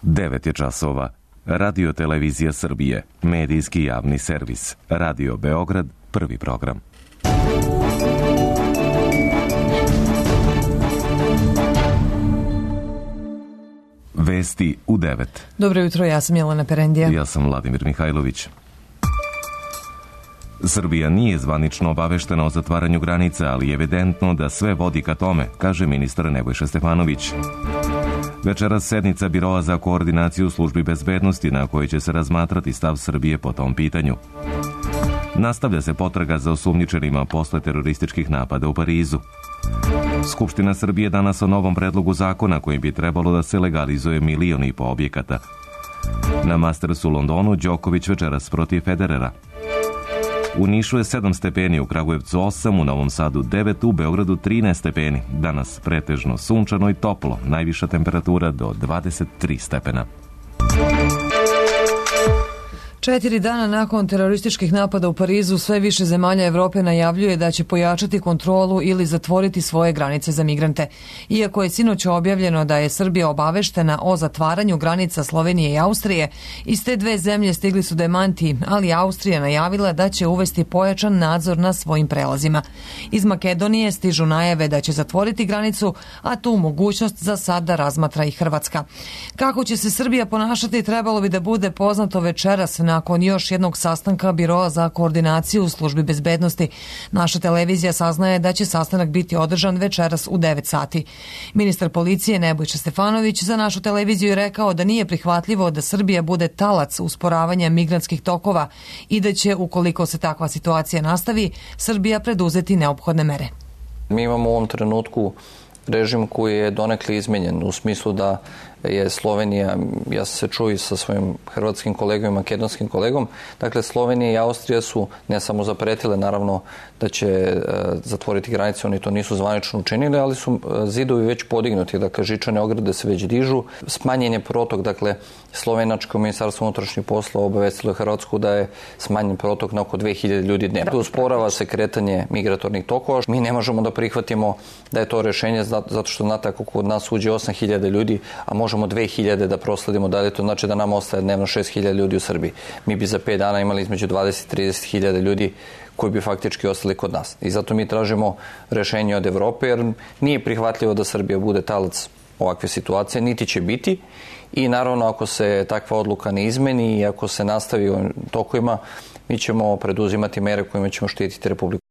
9 je časova. Radio Televizija Srbije, medijski javni servis. Radio Beograd, prvi program. Vesti u 9. Dobro jutro, ja sam Jelena Perendija. Ja sam Vladimir Mihajlović. Srbija nije zvanično obaveštena o zatvaranju granica, ali je evidentno da sve vodi ka tome, kaže ministar Nebojša Stefanović. Večeras sednica Biroa za koordinaciju službi bezbednosti na kojoj će se razmatrati stav Srbije po tom pitanju. Nastavlja se potraga za osumnjičenima posle terorističkih napada u Parizu. Skupština Srbije danas o novom predlogu zakona kojim bi trebalo da se legalizuje 1,5 miliona objekata. Na Mastersu u Londonu Đoković večeras protiv Federera. U Nišu je 7 stepeni, u Kragujevcu 8, u Novom Sadu 9, u Beogradu 13 stepeni. Danas pretežno sunčano i toplo, najviša temperatura do 23 stepena. 4 dana nakon terorističkih napada u Parizu, sve više zemalja Evrope najavljuje da će pojačati kontrolu ili zatvoriti svoje granice za migrante. Iako je sinoć objavljeno da je Srbija obaveštena o zatvaranju granica Slovenije i Austrije, iz te dve zemlje stigli su demanti, ali Austrija najavila da će uvesti pojačan nadzor na svojim prelazima. Iz Makedonije stižu najave da će zatvoriti granicu, a tu mogućnost za sada razmatra i Hrvatska. Kako će se Srbija ponašati trebalo bi da bude poznato večeras nakon još jednog sastanka Biroa za koordinaciju u službi bezbednosti. Naša televizija saznaje da će sastanak biti održan večeras u 9 sati. Ministar policije Nebojša Stefanović za našu televiziju je rekao da nije prihvatljivo da Srbija bude talac usporavanja migrantskih tokova i da će, ukoliko se takva situacija nastavi, Srbija preduzeti neophodne mere. Mi imamo u ovom trenutku režim koji je donekle izmenjen u smislu da je Slovenija, ja sam se čuo i sa svojim hrvatskim kolegom i makedonskim kolegom, dakle Slovenija i Austrija su ne samo zapretile naravno da će zatvoriti granice, oni to nisu zvanično učinili, ali su zidovi već podignuti, dakle žičane ograde se već dižu, smanjen je protok, dakle Slovenačko ministarstvo unutrašnjih poslova obavestilo je Hrvatsku da je smanjen protok na oko 2000 ljudi dnevno. Usporava se kretanje migratornih tokova. Mi ne možemo da prihvatimo da je to rešenje zato što znate ako kod nas uđe 8000 ljudi, a možemo 2000 da prosledimo dalje, to znači da nam ostaje dnevno 6000 ljudi u Srbiji. Mi bi za 5 dana imali između 20 i 30.000 ljudi koji bi faktički ostali kod nas. I zato mi tražimo rešenje od Evrope, jer nije prihvatljivo da Srbija bude talac ovakve situacije, niti će biti. I naravno, ako se takva odluka ne izmeni i ako se nastavi ovim tokovima, mi ćemo preduzimati mere kojima ćemo štititi Republiku.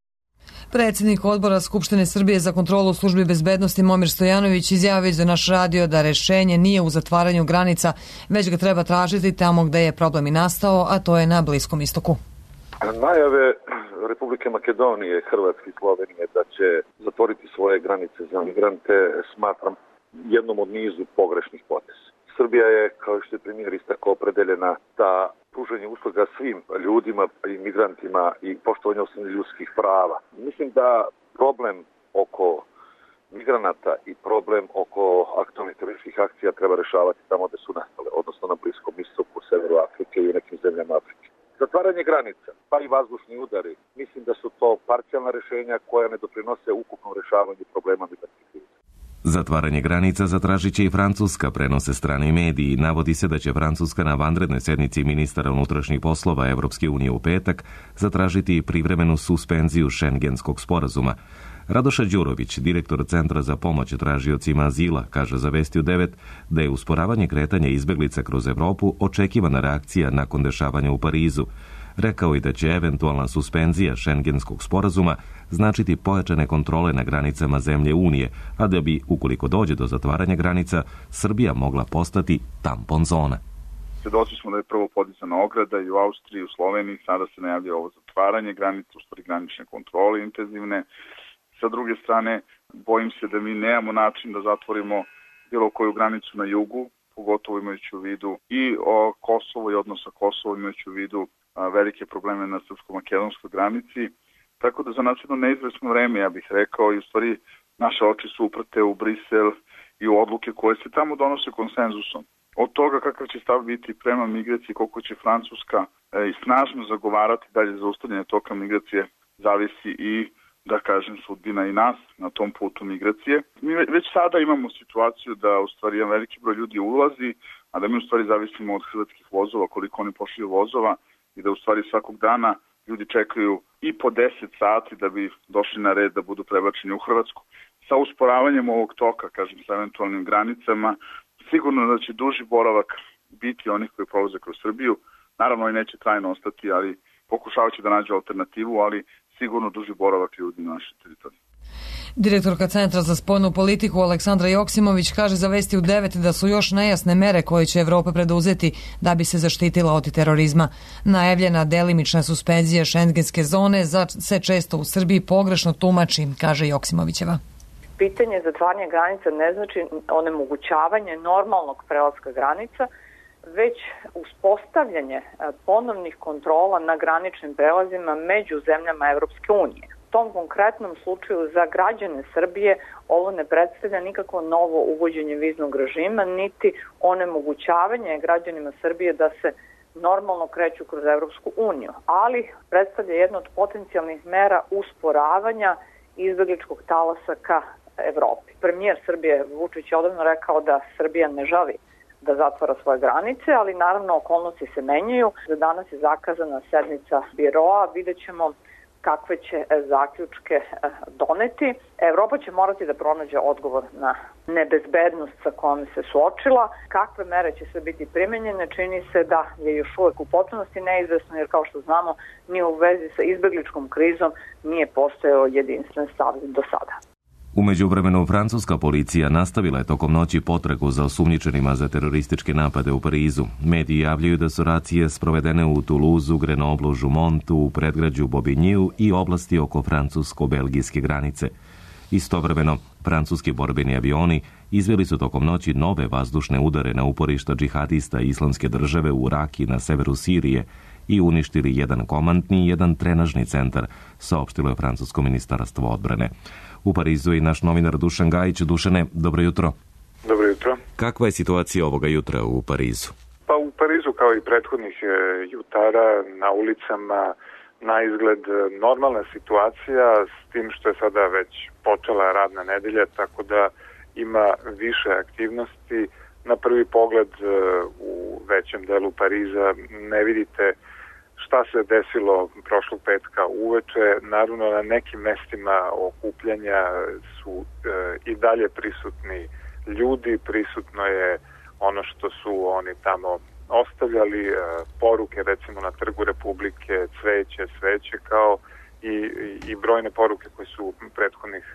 Predsjednik odbora Skupštine Srbije za kontrolu službi bezbednosti Momir Stojanović izjavio za naš radio da rešenje nije u zatvaranju granica, već ga treba tražiti tamo gde je problem i nastao, a to je na Bliskom istoku. Najave Republike Makedonije, Hrvatske i Slovenije da će zatvoriti svoje granice za migrante smatram jednom od nizu pogrešnih poteza. Srbija je, kao što je premijer istakao, opredeljena da pružanje usluga svim ljudima i migrantima i poštovanje osnovnih ljudskih prava. Mislim da problem oko migranata i problem oko aktualnih terorističkih akcija treba rešavati tamo gde su nastale, odnosno na Bliskom istoku, severu Afrike i u nekim zemljama Afrike. Zatvaranje granica, pa i vazdušni udari, mislim da su to parcijalna rešenja koja ne doprinose ukupnom rešavanju problema migrantskih kriza. Zatvaranje granica zatražit će i Francuska, prenose strani mediji. Navodi se da će Francuska na vanrednoj sednici ministara unutrašnjih poslova Evropske unije u petak zatražiti privremenu suspenziju Šengenskog sporazuma. Radoša Đurović, direktor Centra za pomoć tražiocima azila, kaže za Vesti u 9 da je usporavanje kretanja izbeglica kroz Evropu očekivana reakcija nakon dešavanja u Parizu. Rekao i da će eventualna suspenzija Šengenskog sporazuma značiti pojačane kontrole na granicama zemlje Unije, a da bi, ukoliko dođe do zatvaranja granica, Srbija mogla postati tampon zona. Svedoci smo da je prvo podizana ograda i u Austriji, i u Sloveniji, sada se najavlja ovo zatvaranje granica, u stvari granične kontrole intenzivne. Sa druge strane, bojim se da mi nemamo način da zatvorimo bilo koju granicu na jugu, pogotovo imajući u vidu i Kosovo i odnos sa Kosovom, imajući u vidu velike probleme na srpsko-makedonskoj granici. Tako da za nas jedno neizvesno vreme, ja bih rekao, i u stvari naše oči su uprte u Brisel i u odluke koje se tamo donose konsenzusom. Od toga kakav će stav biti prema migraciji, koliko će Francuska i snažno zagovarati dalje zaustavljanje toka migracije, zavisi i da kažem, sudbina i nas na tom putu migracije. Mi već sada imamo situaciju da u stvari jedan veliki broj ljudi ulazi, a da mi u stvari zavisimo od hrvatskih vozova, koliko oni pošalju vozova i da u stvari svakog dana ljudi čekaju i po 10 sati da bi došli na red da budu prebačeni u Hrvatsku. Sa usporavanjem ovog toka, kažem, sa eventualnim granicama, sigurno da će duži boravak biti onih koji prolaze kroz Srbiju. Naravno i neće trajno ostati, ali pokušavat će da nađe alternativu, ali sigurno duži boravak ljudi na našoj teritoriji. Direktorka Centra za spoljnu politiku Aleksandra Joksimović kaže za Vesti u 9 da su još nejasne mere koje će Evropa preduzeti da bi se zaštitila od terorizma. Najavljena delimična suspenzija šengenske zone se često u Srbiji pogrešno tumači, kaže Joksimovićeva. Pitanje zatvaranja granica ne znači onemogućavanje normalnog prelaska granica, već uspostavljanje ponovnih kontrola na graničnim prelazima među zemljama Evropske unije. U tom konkretnom slučaju za građane Srbije ovo ne predstavlja nikakvo novo uvođenje viznog režima, niti onemogućavanje građanima Srbije da se normalno kreću kroz Evropsku uniju, ali predstavlja jedno od potencijalnih mera usporavanja izbegličkog talasa ka Evropi. Premijer Srbije Vučić je odavno rekao da Srbija ne želi da zatvara svoje granice, ali naravno okolnosti se menjaju. Za danas je zakazana sednica biroa, vidjet ćemo kakve će zaključke doneti. Evropa će morati da pronađe odgovor na nebezbednost sa kojom se suočila. Kakve mere će sve biti primenjene, čini se da je još uvek u potpunosti neizvesno, jer kao što znamo, ni u vezi sa izbegličkom krizom nije postojao jedinstven stav do sada. U međuvremenu, francuska policija nastavila je tokom noći potragu za osumnjičenima za terorističke napade u Parizu. Mediji javljaju da su racije sprovedene u Toulouseu, Grenoblu, Jumontu, u predgrađu Bobigniu i oblasti oko francusko-belgijske granice. Istovremeno, francuski borbeni avioni izveli su tokom noći nove vazdušne udare na uporišta džihadista Islamske države u Raki na severu Sirije i uništili jedan komandni i jedan trenažni centar, saopštilo je francusko ministarstvo odbrane. U Parizu je naš novinar Dušan Gajić. Dušane, dobro jutro. Dobro jutro. Kakva je situacija ovoga jutra u Parizu? Pa u Parizu, kao i prethodnih jutara, na ulicama na izgled normalna situacija, s tim što je sada već počela radna nedelja, tako da ima više aktivnosti. Na prvi pogled u većem delu Pariza ne vidite šta se desilo prošlog petka uveče. Naravno, na nekim mestima okupljanja su i dalje prisutni ljudi, prisutno je ono što su oni tamo ostavljali, poruke recimo na Trgu Republike, sveće kao i brojne poruke koje su prethodnih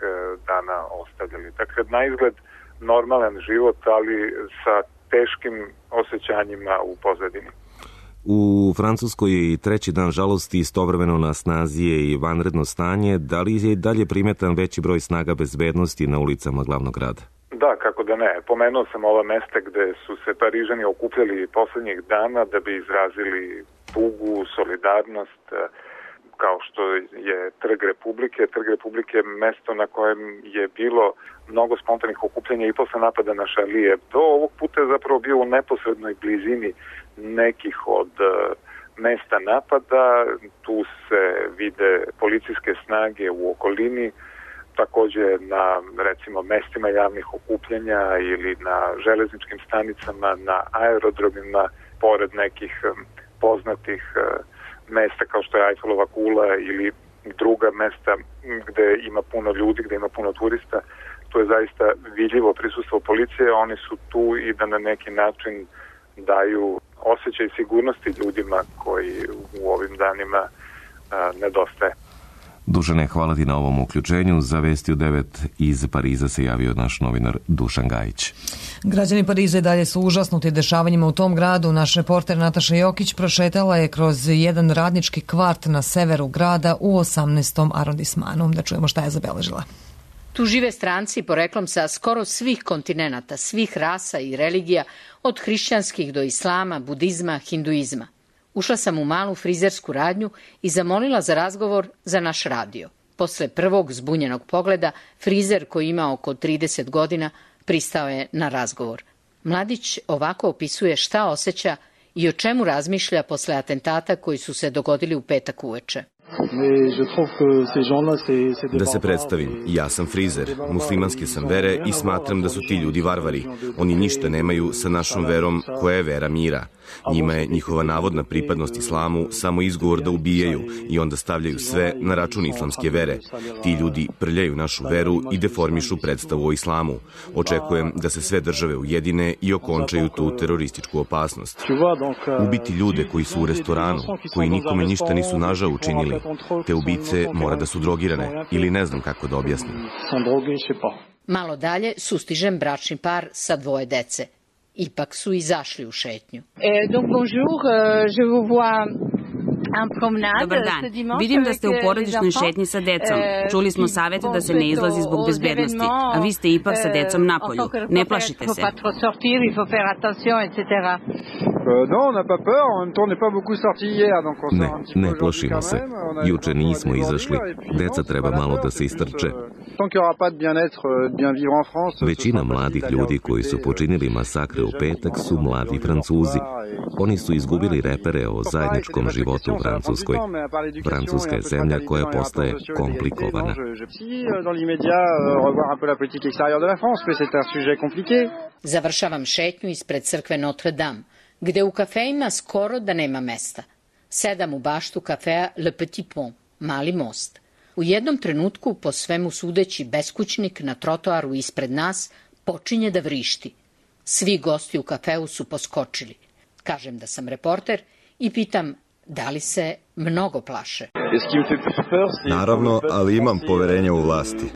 dana ostavljali. Dakle, na izgled normalan život, ali sa teškim osjećanjima u pozadini. U Francuskoj je i treći dan žalosti, istovremeno na snazi je i vanredno stanje. Da li je dalje primetan veći broj snaga bezbednosti na ulicama glavnog grada? Da, kako da ne. Pomenuo sam ova mesta gde su se Parižani okupljali poslednjih dana da bi izrazili tugu, solidarnost, kao što je Trg Republike. Trg Republike je mesto na kojem je bilo mnogo spontanih okupljanja i posle napada na Charlie Hebdo. Ovog puta je zapravo bio u neposrednoj blizini nekih od mesta napada. Tu se vide policijske snage u okolini, takođe na recimo mestima javnih okupljanja ili na železničkim stanicama, na aerodromima, pored nekih poznatih mesta kao što je Eiffelova kula ili druga mesta gde ima puno ljudi, gde ima puno turista. To je zaista vidljivo prisustvo policije. Oni su tu i da na neki način daju osjećaj sigurnosti ljudima koji u ovim danima nedostaje. Dušane, hvala ti na ovom uključenju. Za Vesti u 9 iz Pariza se javio naš novinar Dušan Gajić. Građani Pariza i dalje su užasnuti dešavanjima u tom gradu. Naš reporter Nataša Jokić prošetala je kroz jedan radnički kvart na severu grada u 18. arondismanu. Da čujemo šta je zabeležila. Tu žive stranci poreklom sa skoro svih kontinenata, svih rasa i religija, od hrišćanskih do islama, budizma, hinduizma. Ušla sam u malu frizersku radnju i zamolila za razgovor za naš radio. Posle prvog zbunjenog pogleda, frizer koji ima oko 30 godina pristao je na razgovor. Mladić ovako opisuje šta osjeća i o čemu razmišlja posle atentata koji su se dogodili u petak uveče. Da se predstavim, ja sam frizer, muslimanske sam vere i smatram da su ti ljudi varvari. Oni ništa nemaju sa našom verom koja je vera mira. Njima je njihova navodna pripadnost islamu samo izgovor da ubijaju i onda stavljaju sve na račun islamske vere. Ti ljudi prljaju našu veru i deformišu predstavu o islamu. Očekujem da se sve države ujedine i okončaju tu terorističku opasnost. Ubiti ljude koji su u restoranu, koji nikome ništa nisu nažao učinili, te ubice mora da su drogirane ili ne znam kako da objasnim. Malo dalje sustižem bračni par sa 2 dece. Ipak su izašli u šetnju. Dobar dan. Vidim da ste u porodičnoj šetnji sa decom. Čuli smo savete da se ne izlazi zbog bezbednosti, a vi ste ipak sa decom napolju. Ne plašite se. Ne plašimo se. Juče nismo izašli. Deca treba malo da se istrče. Većina mladih ljudi koji su počinili masakre u petak su mladi Francuzi. Oni su izgubili repere o zajedničkom životu u Francuskoj. Francuska je zemlja koja postaje komplikovana. Završavam šetnju ispred crkve Notre Dame, gde u kafejima skoro da nema mesta. Sedam u baštu kafea Le Petit Pont, Mali most. U jednom trenutku, po svemu sudeći, beskućnik na trotoaru ispred nas počinje da vrišti. Svi gosti u kafeu su poskočili. Kažem da sam reporter i pitam da li se mnogo plaše. Naravno, ali imam poverenja u vlasti.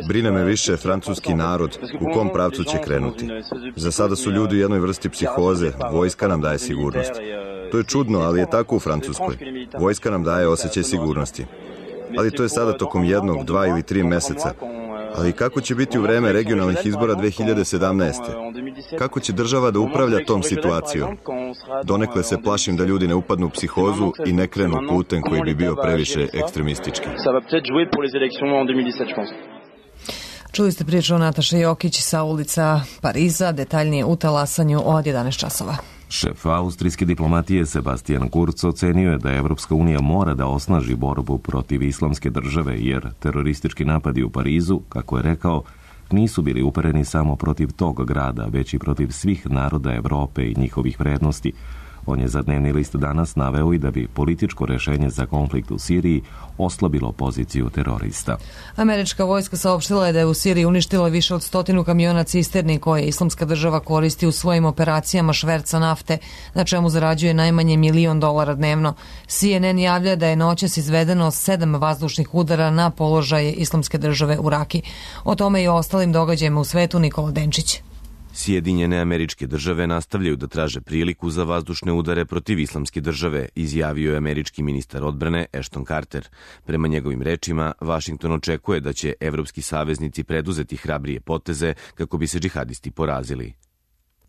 Brine me više francuski narod, u kom pravcu će krenuti. Za sada su ljudi u jednoj vrsti psihoze, vojska nam daje sigurnost. To je čudno, ali je tako u Francuskoj. Vojska nam daje osjećaj sigurnosti. Ali to je sada tokom 1, 2 ili 3 meseca. Ali kako će biti u vreme regionalnih izbora 2017. Kako će država da upravlja tom situacijom? Donekle se plašim da ljudi ne upadnu u psihozu i ne krenu putem koji bi bio previše ekstremistički. Čuli ste priču o Nataše Jokić sa ulica Pariza, detaljnije u talasanju od 11 časova. Šef austrijske diplomatije Sebastian Kurz ocenio je da Evropska unija mora da osnaži borbu protiv islamske države, jer teroristički napadi u Parizu, kako je rekao, nisu bili upereni samo protiv tog grada, već i protiv svih naroda Evrope i njihovih vrednosti. On je za dnevni list danas naveo i da bi političko rešenje za konflikt u Siriji oslabilo poziciju terorista. Američka vojska saopštila je da je u Siriji uništila više od 100 kamiona cisterni koje islamska država koristi u svojim operacijama šverca nafte, na čemu zarađuje najmanje $1 milion dnevno. CNN javlja da je noćas izvedeno 7 vazdušnih udara na položaje islamske države u Raki. O tome i o ostalim događajima u svetu Nikola Denčić. Sjedinjene Američke države nastavljaju da traže priliku za vazdušne udare protiv islamske države, izjavio je američki ministar odbrane Ashton Carter. Prema njegovim rečima, Vašington očekuje da će evropski saveznici preduzeti hrabrije poteze kako bi se džihadisti porazili.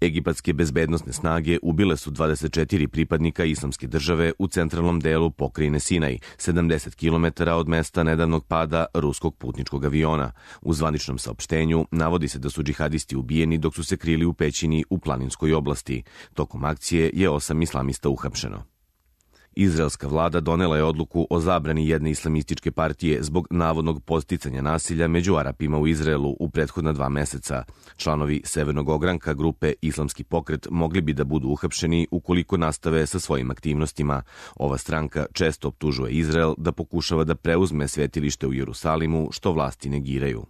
Egipatske bezbednosne snage ubile su 24 pripadnika islamske države u centralnom delu pokrajine Sinaj, 70 km od mesta nedavnog pada ruskog putničkog aviona. U zvaničnom saopštenju navodi se da su džihadisti ubijeni dok su se krili u pećini u planinskoj oblasti. Tokom akcije je 8 islamista uhapšeno. Izraelska vlada donela je odluku o zabrani jedne islamističke partije zbog navodnog podsticanja nasilja među Arapima u Izraelu u prethodna 2 meseca. Članovi severnog ogranka grupe Islamski pokret mogli bi da budu uhapšeni ukoliko nastave sa svojim aktivnostima. Ova stranka često optužuje Izrael da pokušava da preuzme svetilište u Jerusalimu, što vlasti negiraju.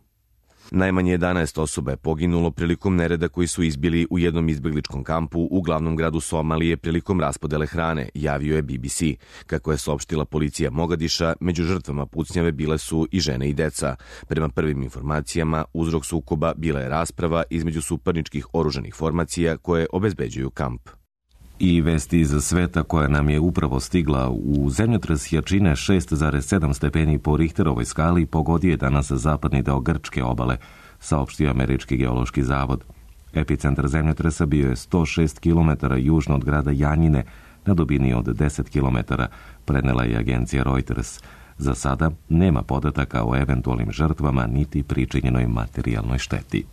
Najmanje 11 osoba je poginulo prilikom nereda koji su izbili u jednom izbegličkom kampu u glavnom gradu Somalije prilikom raspodele hrane, javio je BBC. Kako je saopštila policija Mogadiša, među žrtvama pucnjave bile su i žene i deca. Prema prvim informacijama, uzrok sukoba bila je rasprava između suparničkih oružanih formacija koje obezbeđuju kamp. I vesti iz sveta koja nam je upravo stigla. U zemljotres jačine 6,7 stepeni po Richterovoj skali pogodio je danas zapadni deo grčke obale, saopštio Američki geološki zavod. Epicentar zemljotresa bio je 106 km južno od grada Janjine, na dubini od 10 km, prenela je agencija Reuters. Za sada nema podataka o eventualnim žrtvama niti pričinjenoj materijalnoj šteti.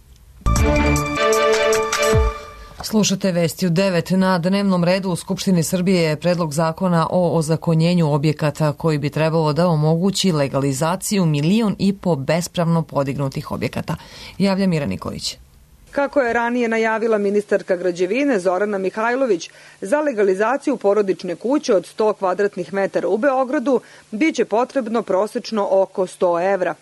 Slušate vesti u 9. Na dnevnom redu u Skupštini Srbije je predlog zakona o ozakonjenju objekata koji bi trebalo da omogući legalizaciju 1,5 miliona bespravno podignutih objekata. Javlja Mira Nikolić. Kako je ranije najavila ministarka građevine Zorana Mihajlović, za legalizaciju porodične kuće od 100 kvadratnih metara u Beogradu biće potrebno prosečno oko 100 evra.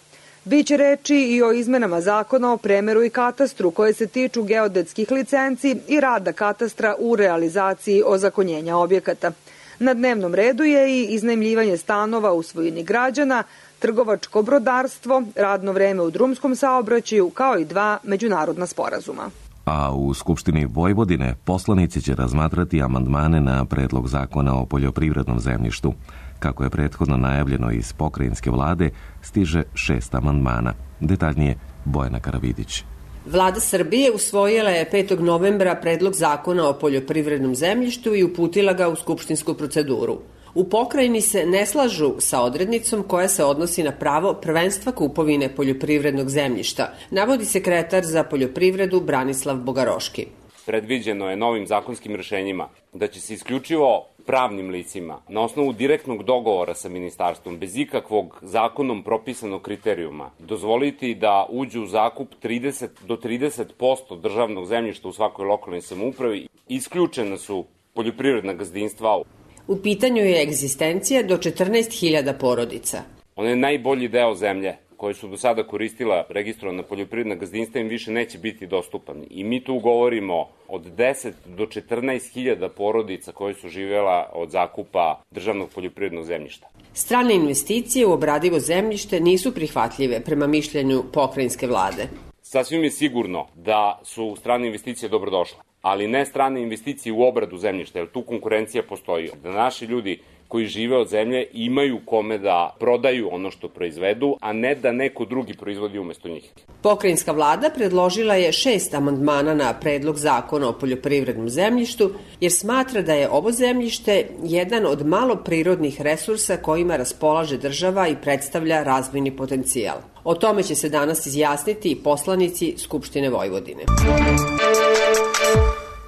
Biće reči i o izmenama zakona o premeru i katastru koje se tiču geodetskih licenci i rada katastra u realizaciji ozakonjenja objekata. Na dnevnom redu je i iznajmljivanje stanova u svojini građana, trgovačko brodarstvo, radno vreme u drumskom saobraćaju, kao i 2 međunarodna sporazuma. A u Skupštini Vojvodine poslanici će razmatrati amandmane na predlog zakona o poljoprivrednom zemljištu. Kako je prethodno najavljeno iz pokrajinske vlade, stiže 6 amandmana. Detaljnije Bojana Karavidić. Vlada Srbije usvojila je 5. novembra predlog zakona o poljoprivrednom zemljištu i uputila ga u skupštinsku proceduru. U pokrajini se ne slažu sa odrednicom koja se odnosi na pravo prvenstva kupovine poljoprivrednog zemljišta, navodi sekretar za poljoprivredu Branislav Bogaroški. Predviđeno je novim zakonskim rešenjima da će se isključivo pravnim licima na osnovu direktnog dogovora sa ministarstvom bez ikakvog zakonom propisanog kriterijuma dozvoliti da uđu u zakup 30 do 30% državnog zemljišta u svakoj lokalnoj samoupravi. Isključena su poljoprivredna gazdinstva. U pitanju je egzistencija do 14.000 porodica. Ono je najbolji deo zemlje koje su do sada koristila registrovana poljoprivredna gazdinstva im više neće biti dostupan. I mi tu govorimo od 10 do 14.000 porodica koje su živjela od zakupa državnog poljoprivrednog zemljišta. Strane investicije u obradivo zemljište nisu prihvatljive prema mišljenju pokrajinske vlade. Sasvim je sigurno da su strane investicije dobrodošle, ali ne strane investicije u obradu zemljišta, jer tu konkurencija postoji. Da naši ljudi koji žive od zemlje imaju kome da prodaju ono što proizvedu, a ne da neko drugi proizvodi umesto njih. Pokrajinska vlada predložila je 6 amandmana na predlog zakona o poljoprivrednom zemljištu, jer smatra da je ovo zemljište jedan od malo prirodnih resursa kojima raspolaže država i predstavlja razvojni potencijal. O tome će se danas izjasniti i poslanici Skupštine Vojvodine.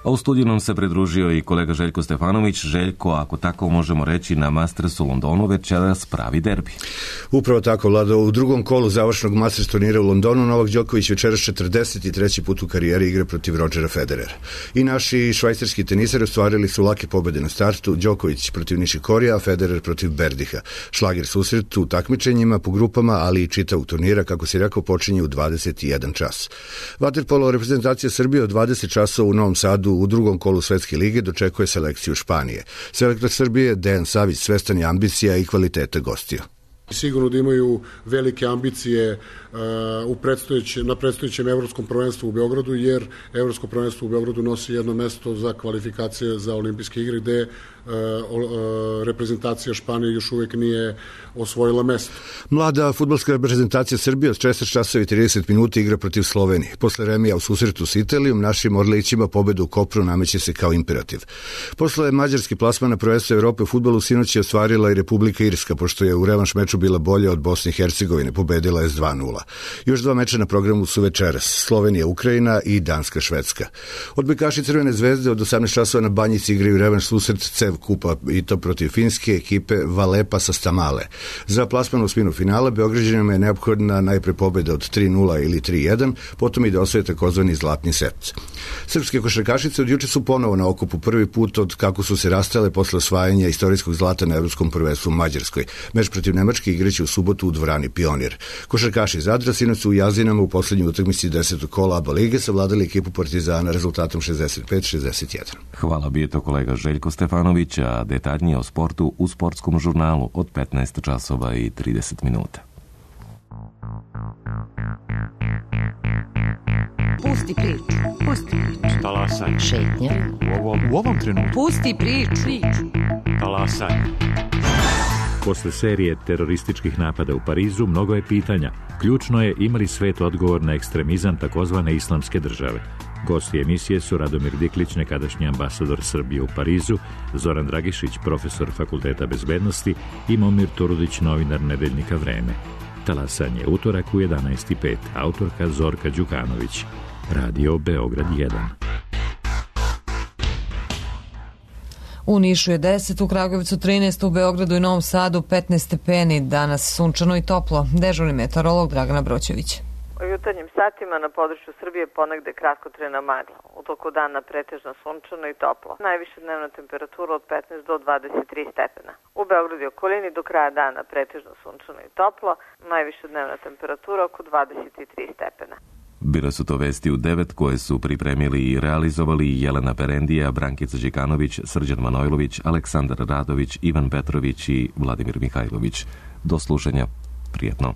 A u studiju nam se pridružio i kolega Željko Stefanović. Željko, ako tako možemo reći, na Mastersu u Londonu večeras pravi derbi. Upravo tako, Vlado. U drugom kolu završnog Masters turnira u Londonu Novak Đoković večeras 43. put u karijeri igre protiv Rodgera Federera. I naši švajcarski tenisari ostvarili su lake pobede na startu. Đoković protiv Nišikorija, a Federer protiv Berdiha. Šlager susret u takmičenjima po grupama, ali i čitavog turnira, kako si rekao, počinje u 21 čas. Vaterpolo reprezentacija Srbije od 20 časova u Novom Sadu u drugom kolu Svetske lige dočekuje selekciju Španije. Selektor Srbije Dejan Savić svestan je ambicija i kvalitete gostiju. Sigurno da imaju velike ambicije na predstojećem evropskom prvenstvu u Beogradu, jer evropsko prvenstvo u Beogradu nosi jedno mesto za kvalifikacije za olimpijske igre, gde reprezentacija Španije još uvek nije osvojila mesto. Mlada fudbalska reprezentacija Srbije od 16 časova i 30 minuta igra protiv Slovenije. Posle remija u susretu s Italijom, našim Orlićima pobeda u Kopru nameće se kao imperativ. Posle mađarski plasman na prvenstvo Evrope u fudbalu sinoć je ostvarila i Republika Irska, pošto je u revanš meču bila bolja od Bosne i Hercegovine, pobedila je s 2:0. Još 2 meča na programu su večeras: Slovenija, Ukrajina i Danska, Švedska. Odbojkaši Crvene zvezde od 18 časova na Banjici igraju revanš susret CEV kupa, i to protiv finske ekipe Valepa sa Stamale. Za plasman u osminu finala Beograđanima je neophodna najpre pobeda od 3:0 ili 3:1, potom i da osvoje takozvani zlatni set. Srpske košarkašice od juče su ponovo na okupu, prvi put od kako su se rastale posle osvajanja istorijskog zlata na evropskom prvenstvu u Mađarskoj. Meč protiv Nemačke igraće u subotu u dvorani Pionir. Košarkaši Zadra sinoć su u Jazinama u poslednjoj utakmici 10. kola ABA lige savladali ekipu Partizana rezultatom 65-61. Hvala, bio to kolega Željko Stefanović, a detaljnije o sportu u sportskom žurnalu od 15 časova i 30 minuta. Pusti priču, pusti priču. Talasaj. Šetnja. U ovom trenutku. Pusti priču. Talasaj. Posle serije terorističkih napada u Parizu mnogo je pitanja. Ključno je ima li svet odgovor na ekstremizam takozvane islamske države. Gosti emisije su Radomir Diklić, nekadašnji ambasador Srbije u Parizu, Zoran Dragišić, profesor Fakulteta bezbednosti i Momir Turudić, novinar nedeljnika Vreme. Talasanje utorak u 11:05. Autorka Zorka Đukanović. Radio Beograd 1. U Nišu je 10, u Kragujevcu 13, u Beogradu i Novom Sadu 15 stepeni. Danas sunčano i toplo. Dežurni meteorolog Dragana Broćević. U jutarnjim satima na području Srbije ponegde kratkotrajna magla. U toku dana pretežno sunčano i toplo. Najviša dnevna temperatura od 15 do 23 stepena. U Beogradu i okolini do kraja dana pretežno sunčano i toplo. Najviša dnevna temperatura oko 23 stepena. Bile su to vesti u 9 koje su pripremili i realizovali Jelena Perendija, Brankica Đikanović, Srđan Manojlović, Aleksandar Radović, Ivan Petrović i Vladimir Mihajlović. Do slušanja. Prijetno.